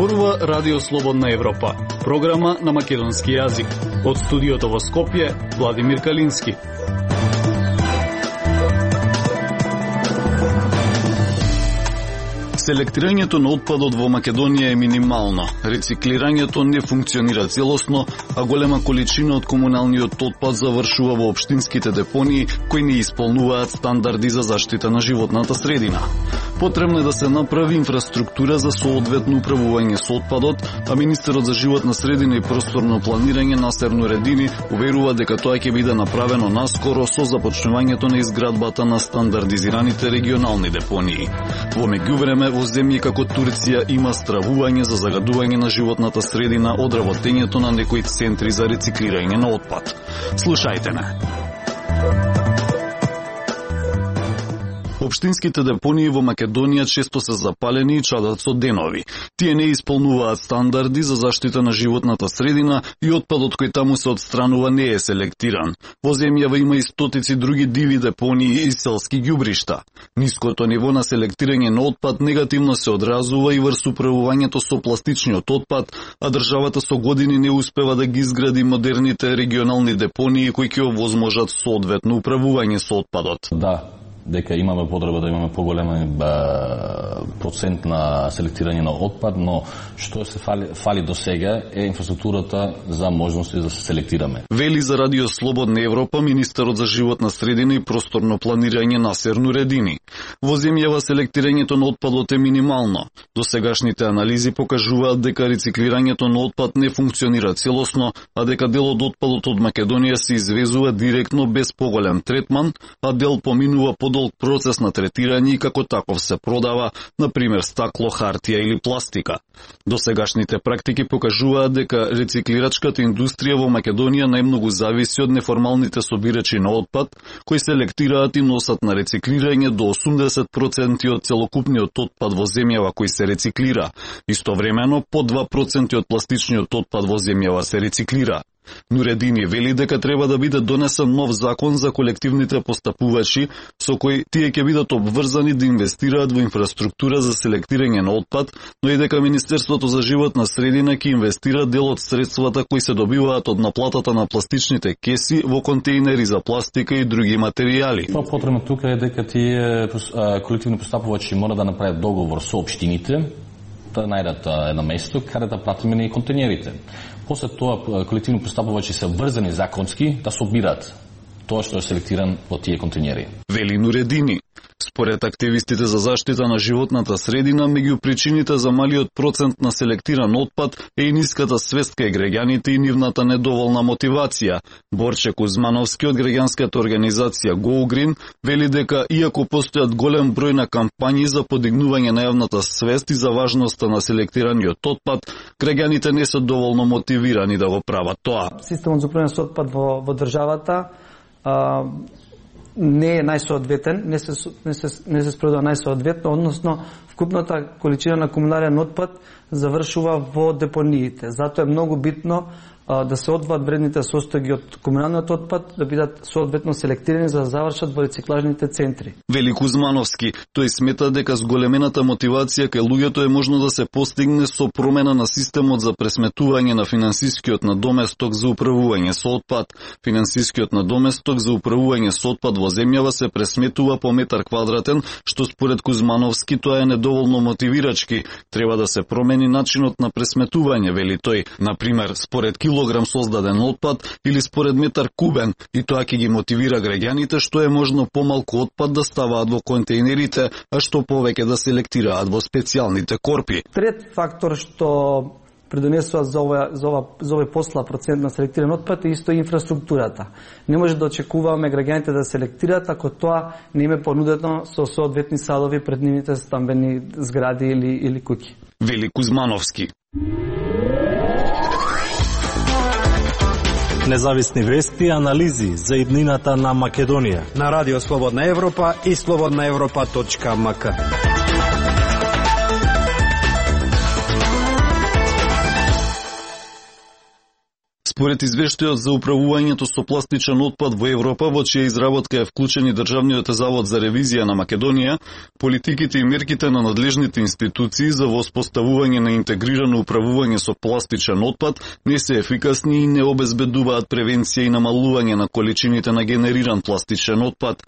Зборува Радио Слободна Европа, програма на македонски јазик. Од студиото во Скопје, Владимир Калински. Селектирањето на отпадот во Македонија е минимално. Рециклирањето не функционира целосно, а голема количина од комуналниот отпад завршува во општинските депонии кои не исполнуваат стандарди за заштита на животната средина. Потребно е да се направи инфраструктура за соодветно управување со отпадот, а министерот за животна средина и просторно планирање Насер Нуредини уверува дека тоа ќе биде направено наскоро со започнувањето на изградбата на стандардизираните регионални депонии. Во меѓувреме, во земји како Турција има стравување за загадување на животната средина од работењето на некои центри за рециклирање на отпад. Слушајте ме. Општинските депонии во Македонија често се запалени и чадат со денови. Тие не исполнуваат стандарди за заштита на животната средина и отпадот кој таму се отстранува не е селектиран. Во земјава има и стотици други диви депонии и селски ѓубришта. Ниското ниво на селектирање на отпад негативно се одразува и врз управувањето со пластичниот отпад, а државата со години не успева да ги изгради модерните регионални депонии кои ќе овозможат соодветно управување со отпадот. Да, дека имаме потреба да имаме поголема процент на селектирање на отпад, но што се фали до сега е инфраструктурата за можности да се селектираме. Вели за Радио Слободна Европа министерот за животна средина и просторно планирање Насер Нуредини. Во земјава селектирањето на отпадот е минимално. Досегашните анализи покажуваат дека рециклирањето на отпад не функционира целосно, а дека дел од отпадот од Македонија се извезува директно без поголем третман, а дел поминува подолг процес на третирање и како таков се продава, например стакло, хартија или пластика. Досегашните практики покажуваат дека рециклирачката индустрија во Македонија најмногу зависи од неформалните собирачи на отпад, кои селектираат и носат на рециклирање до 80% од целокупниот отпад во земјава кој се рециклира. Истовремено, по 2% од пластичниот отпад во земјава се рециклира. Нуредини вели дека треба да биде донесен нов закон за колективните постапувачи, со кој тие ќе бидат обврзани да инвестираат во инфраструктура за селектирање на отпад, но и дека Министерството за животна средина ќе инвестира дел од средствата кои се добиваат од наплатата на пластичните кеси во контејнери за пластика и други материјали. Тоа потребно тука е дека тие колективни постапувачи мора да направат договор со општините, да најдат едно место каде да платиме и контејнерите. После тоа колективни постапувачи се врзани законски да собират тоа што е селектиран во тие контејнери. Вели Нуредини. Според активистите за заштита на животната средина, меѓу причините за малиот процент на селектиран отпад е и ниската свест кај граѓаните и нивната недоволна мотивација. Борче Кузмановски од граѓанската организација Go Green вели дека иако постојат голем број на кампањи за подигнување на јавната свест и за важноста на селектираниот отпад, граѓаните не се доволно мотивирани да го прават тоа. Системот за управување со отпад во државата не е најсоодветен, не се спроведува најсоодветно, односно вкупната количина на комунален отпад завршува во депониите. Затоа е многу битно да се одвоат вредните состојби од комуналниот отпад, да бидат соодветно селектирани за да завршат во рециклажните центри. Вели Кузмановски, тој смета дека зголемената мотивација кај луѓето е можно да се постигне со промена на системот за пресметување на финансискиот надоместок за управување со отпад. Финансискиот надоместок за управување со отпад во земјава се пресметува по метар квадратен, што според Кузмановски тоа е недоволно мотивирачки. Треба да се промени начинот на пресметување, вели тој, например, според килограм создаден отпад или според метар кубен, и тоа ќе ги мотивира граѓаните што е можно помалку отпад да ставаат во контејнерите, а што повеќе да селектираат во специјалните корпи. Трет фактор што придонесува за овој посла процент на селектиран отпад е исто инфраструктурата. Не може да очекуваме граѓаните да селектираат ако тоа не им е понудено со соодветни садови пред нивните стамбени згради или куќи. Вели Кузмановски. Независни вести и анализи за иднината на Македонија на Радио Слободна Европа и slobodnaevropa.mk. Според извештајот за управувањето со пластичен отпад во Европа, во чија изработка е вклучен и Државниот завод за ревизија на Македонија, политиките и мерките на надлежните институции за воспоставување на интегрирано управување со пластичен отпад не се ефикасни и не обезбедуваат превенција и намалување на количините на генериран пластичен отпад.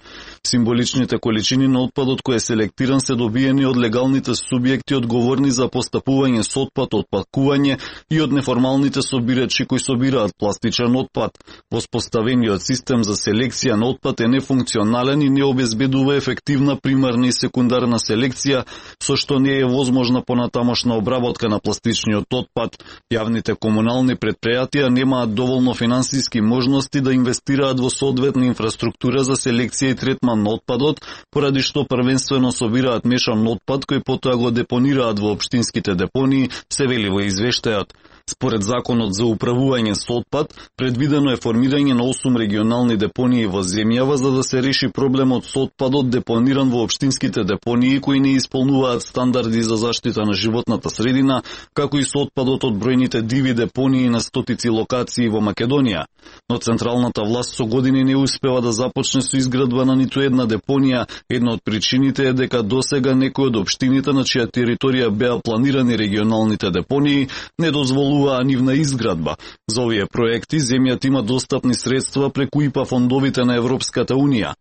Символичните количини на отпадот кој е селектиран се добиени од легалните субјекти одговорни за постапување со отпад, отпакување и од неформалните собирачи кои собираат пластичен отпад. Воспоставениот систем за селекција на отпад е нефункционален и не обезбедува ефективна примарна и секундарна селекција, со што не е возможна понатамошна обработка на пластичниот отпад. Јавните комунални претпријатија немаат доволно финансиски можности да инвестираат во соодветна инфраструктура за селекција и третман на отпадот, поради што првенствено собираат мешан отпад кој потоа го депонираат во општинските депонии, се вели во извештајот. Според Законот за управување со отпад, предвидено е формирање на 8 регионални депонии во земјава за да се реши проблемот со отпадот депониран во општинските депонии кои не исполнуваат стандарди за заштита на животната средина, како и со отпадот од бројните диви депонии на стотици локации во Македонија. Но централната власт со години не успева да започне со изградба на ниту една депонија. Една од причините е дека досега некои од општините на чија територија беа планирани регионалните депонии не дозволуваа нивна изградба. За овие проекти земјата има достапни средства преку ИПА фондовите на Европската Унија.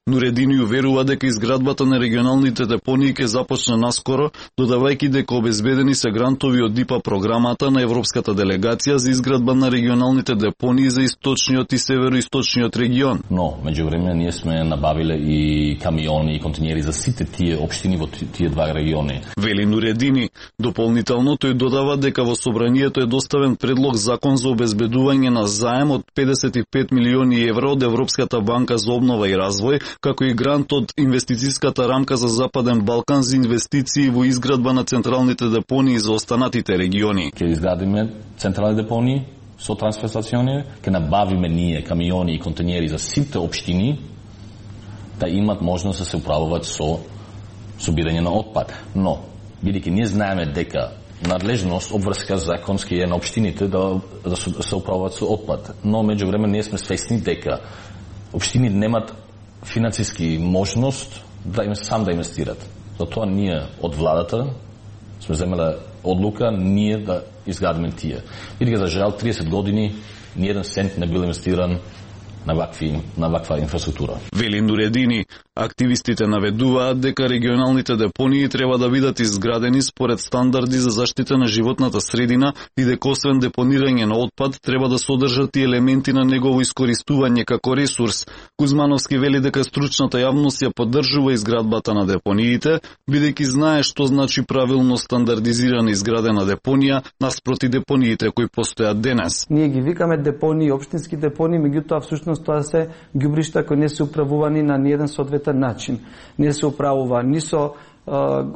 Нуредини уверува дека изградбата на регионалните депонии ќе започне наскоро, додавајќи дека обезбедени се грантови од ИПА програмата на Европската делегација за изградба на регионалните депонии за источниот и североисточниот регион. Но, меѓувреме, ние сме набавиле и камиони и континери за сите тие општини во тие два региони. Вели Нуредини. Дополнително тој додава дека во собранието е доставен предлог закон за обезбедување на заем од 55 милиони евра од Европската банка за обнова и развој, како и грант од инвестицијската рамка за Западен Балкан за инвестиции во изградба на централните депонии за останатите региони. Ќе изградиме централни депонии со трансфер-стациони, ќе набавиме ние камиони и контейнери за сите општини да имат можност да се управуваат со собирање на отпад. Но, бидејќи ние знаеме дека надлежност, обврска законски е на општините да се управуваат со отпад. Но, меѓувреме, ние сме свесни дека општини немат финансиски можност да им сам да инвестират. Затоа ние од владата сме земеле одлука ние да изградиме тие. Бидејќи за жал 30 години ни еден цент не бил инвестиран на ваква инфраструктура. Вели Нуредини, активистите наведуваат дека регионалните депонии треба да бидат изградени според стандарди за заштита на животната средина и дека освен депонирање на отпад треба да содржат и елементи на негово искористување како ресурс. Кузмановски вели дека стручната јавност ја поддржува изградбата на депониите, бидејќи знае што значи правилно стандардизирана изградена депонија наспроти депониите кои постојат денес. Ние ги викаме депонии, општински депонии, меѓутоа всушност тоа се ѓубришта кои не се управувани на ниеден соодветен начин. Не се управува ни со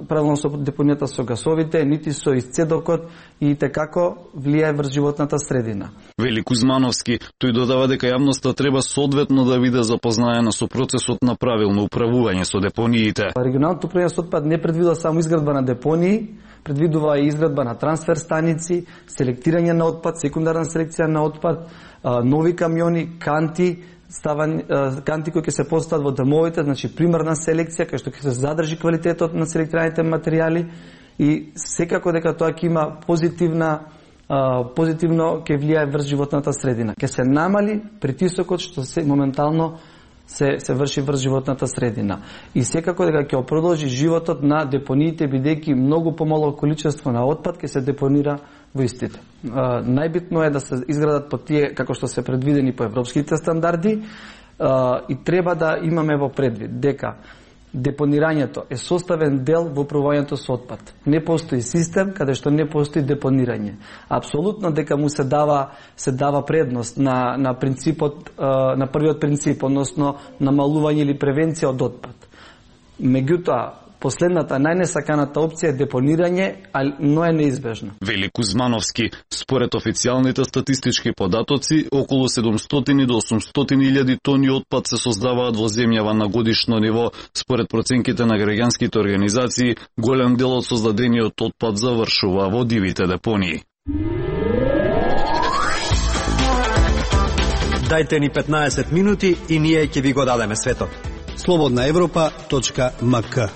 правилно со депонијата со гасовите, нити со исцедокот и текако влијае врз животната средина. Вели Кузмановски, тој додава дека јавноста треба соодветно да биде запознаена со процесот на правилно управување со депониите. Регионалното управување со отпад не предвидува само изградба на депонии, предвидува и изградба на трансфер станици, селектирање на отпад, секундарна селекција на отпад, нови камиони, канти кои ќе се постават во домовите, значи примарна селекција кај што ќе се задржи квалитетот на селектираните материјали и секако дека тоа ќе има позитивно ќе влијае врз животната средина. Ќе се намали притисокот што се моментално се врши врз животната средина. И секако дека ќе продолжи животот на депониите, бидејќи многу помало количество на отпад ќе се депонира во истите. Најбитно е да се изградат по тие како што се предвидени по европските стандарди и треба да имаме во предвид дека депонирањето е составен дел во управувањето со отпад. Не постои систем каде што не постои депонирање. Апсолутно дека му се дава предност на принципот, на првиот принцип, односно намалување или превенција од отпад. Меѓутоа, последната најнесаканата опција е депонирање, но е неизбежна. Вели Кузмановски, според официјалните статистички податоци, околу 700 до 800.000 тони отпад се создаваат во земјава на годишно ниво. Според проценките на граѓанските организации, голем дел од создадениот отпад завршува во дивите депонии. Дајте ни 15 минути и ние ќе ви го дадеме светот. slobodnaevropa.mk.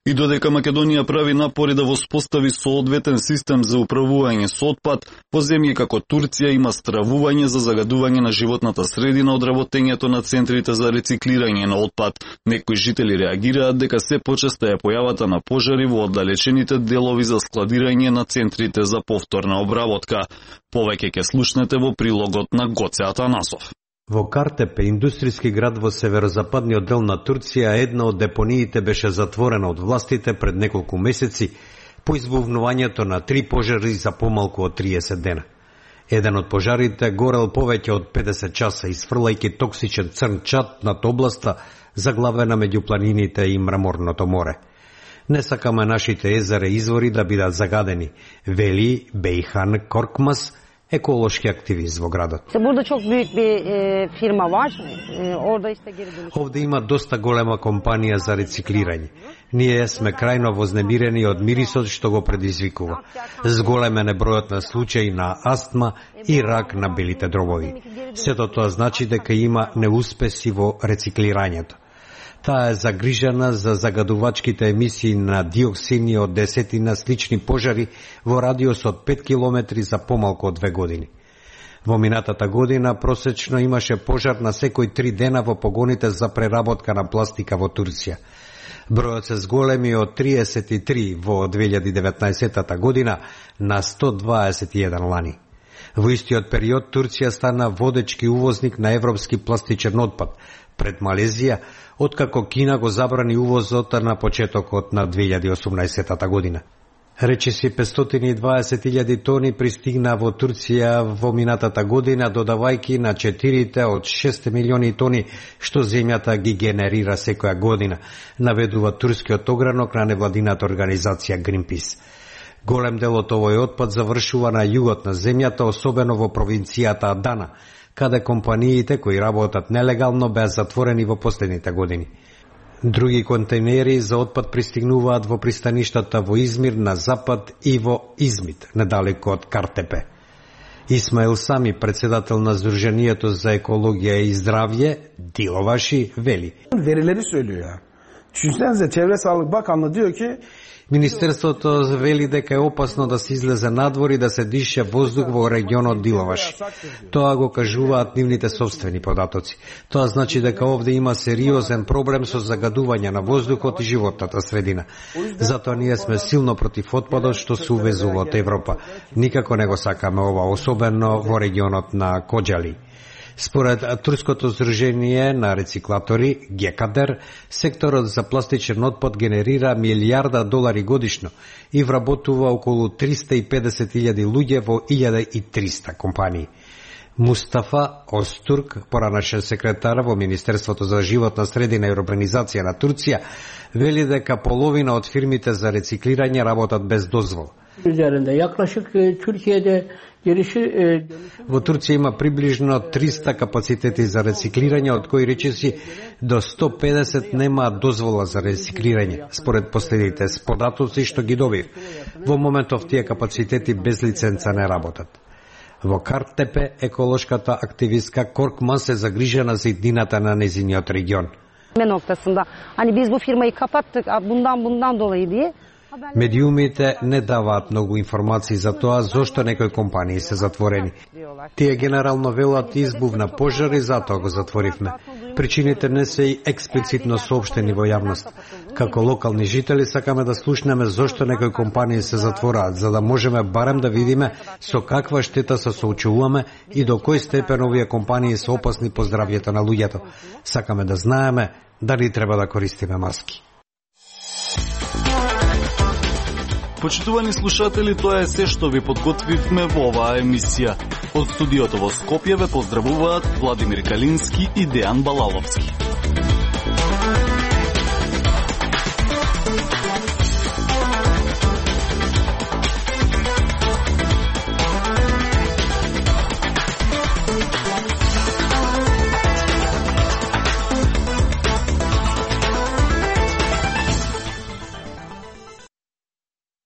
И додека Македонија прави напори да воспостави соодветен систем за управување со отпад, во земји како Турција има стравување за загадување на животната средина од работењето на центрите за рециклирање на отпад. Некои жители реагираат дека се почеста е појавата на пожари во оддалечените делови за складирање на центрите за повторна обработка. Повеќе ќе слушнете во прилогот на Гоце Атанасов. Во Картепе, индустријски град во северозападниот дел на Турција, една од депониите беше затворена од властите пред неколку месеци по избувнувањето на 3 пожари за помалку од 30 дена. Еден од пожарите горел повеќе од 50 часа, изфрлајќи токсичен црн чад над областа заглавена меѓу планините и мраморното море. Не сакаме нашите езера и извори да бидат загадени, вели Бейхан Коркмас, еколошки активист во градот. Овде има доста голема компанија за рециклирање. Ние сме крајно вознемирени од мирисот што го предизвикува. Зголемен е бројот на случаи на астма и рак на белите дробови. Сето тоа значи дека има неуспеси во рециклирањето. Таа е загрижена за загадувачките емисии на диоксини од десетина слични пожари во радиус од 5 километри за помалку од 2 години. Во минатата година просечно имаше пожар на секој 3 дена во погоните за преработка на пластика во Турција. Бројот се зголеми од 33 во 2019 година на 121 лани. Во истиот период Турција стана водечки увозник на европски пластичен отпад пред Малезија, откако Кина го забрани увозот на почетокот на 2018 година. Речиси 520.000 тони пристигна во Турција во минатата година, додавајки на 4 од 6 милиони тони што земјата ги генерира секоја година, наведува турскиот огранок на невладината организација Greenpeace. Голем дел од овој отпад завршува на југот на земјата, особено во провинцијата Адана, каде компаниите кои работат нелегално беа затворени во последните години. Други контейнери за отпад пристигнуваат во пристаништата во Измир на запад и во Измит, недалеко од Картепе. Исмаил Сами, председател на Сдруженијето за екологија и здравје, Диловаши, вели. Verileri söylüyor ya. Düşünsenize Çevre Sağlık Bakanlığı diyor ki Министерството вели дека е опасно да се излезе надвор и да се дише воздух во регионот Диловаш. Тоа го кажуваат нивните собствени податоци. Тоа значи дека овде има сериозен проблем со загадување на воздухот и животната средина. Затоа ние сме силно против отпадот што се увезува од Европа. Никако не го сакаме ова, особено во регионот на Коџали. Според Турското здружение на рециклатори ГЕКАДЕР, секторот за пластичен отпад генерира $1,000,000,000 годишно и вработува околу 350.000 луѓе во 1300 компании. Мустафа Остурк, поранашен секретар во Министерството за животна средина и урбанизација на Турција, вели дека половина од фирмите за рециклирање работат без дозвола. Во Турција има приближно 300 капацитети за рециклирање, од кои речиси до 150 немаат дозвола за рециклирање, според последните податоци што ги добив. Во моментов тие капацитети без лиценца не работат. Во Картепе еколошката активистка Коркман се загрижена за иднината на незиниот регион. Медиумите не даваат многу информации за тоа зошто некои компании се затворени. Тие генерално велат избув на пожари, затоа го затворивме. Причините не се и експлицитно соопштени во јавност. Како локални жители сакаме да слушнеме зошто некои компании се затвораат, за да можеме барем да видиме со каква штета се соочуваме и до кој степен овие компании се опасни по здравјето на луѓето. Сакаме да знаеме дали треба да користиме маски. Почитувани слушатели, тоа е се што ви подготвивме во оваа емисија. Од студиото во Скопје ве поздравуваат Владимир Калински и Дејан Балаловски.